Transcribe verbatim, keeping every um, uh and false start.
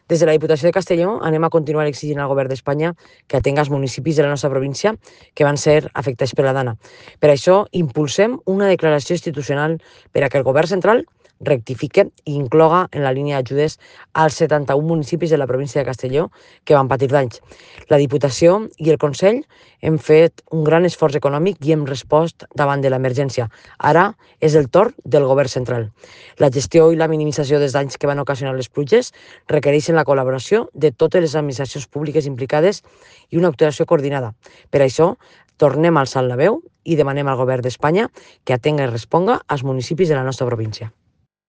Des de la Diputació de Castelló anem a continuar exigint al Govern d'Espanya que atenga els municipis de la nostra província que van ser afectats per la Dana. Per això impulsem una declaració institucional per a que el Govern central rectifique i incloga en la línia d'ajudes als setanta-un municipis de la província de Castelló que van patir danys. La Diputació i el Consell hem fet un gran esforç econòmic i hem respost davant de l'emergència. Ara és el torn del Govern central. La gestió i la minimització dels danys que van ocasionar les pluges requereixen la col·laboració de totes les administracions públiques implicades i una actuació coordinada. Per això, tornem a alçar la veu i demanem al Govern d'Espanya que atenga i responga als municipis de la nostra província.